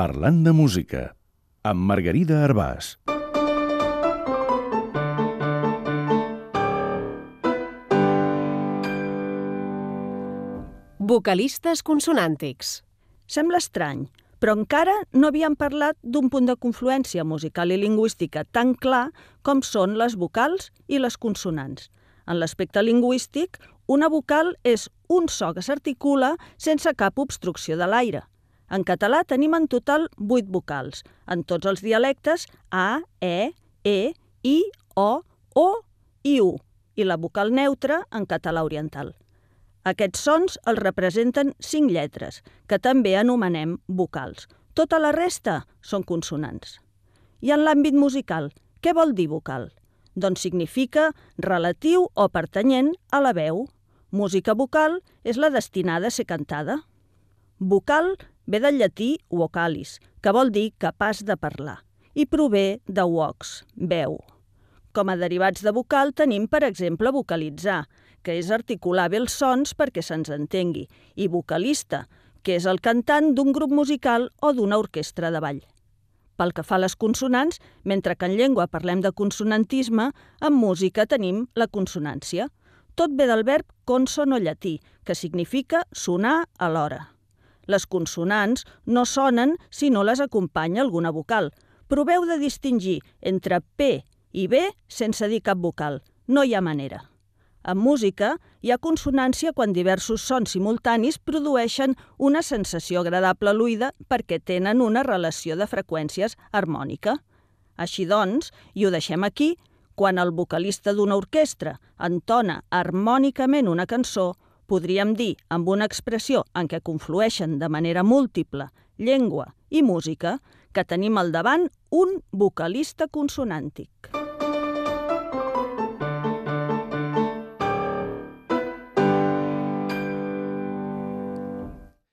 Parlant de música, amb Margarida Arbàs. Vocalistes consonàntics. Sembla estrany, però encara no havíem parlat d'un punt de confluència musical i lingüística tan clar com són les vocals i les consonants. En l'aspecte lingüístic, una vocal és un so que s'articula sense cap obstrucció de l'aire. En català tenim en total 8 vocals, en tots els dialectes A, E, I, O i U, i la vocal neutra en català oriental. Aquests sons els representen 5 lletres, que també anomenem vocals. Tota la resta són consonants. I en l'àmbit musical, què vol dir vocal? Doncs significa relatiu o pertanyent a la veu. Música vocal és la destinada a ser cantada. Vocal ve del llatí vocalis, que vol dir capaç de parlar, i prové de vox, veu. Com a derivats de vocal tenim, per exemple, vocalitzar, que és articular bé els sons perquè se'ns entengui, i vocalista, que és el cantant d'un grup musical o d'una orquestra de ball. Pel que fa a les consonants, mentre que en llengua parlem de consonantisme, en música tenim la consonància. Tot ve del verb consono llatí, que significa sonar alhora. Les consonants no sonen si no les acompanya alguna vocal. Proveu de distingir entre P i B sense dir cap vocal. No hi ha manera. En música hi ha consonància quan diversos sons simultanis produeixen una sensació agradable a l'oïda perquè tenen una relació de freqüències harmònica. Així doncs, i ho deixem aquí, quan el vocalista d'una orquestra entona harmònicament una cançó, podríem dir, amb una expressió en què conflueixen de manera múltiple llengua i música, que tenim al davant un vocalista consonàntic.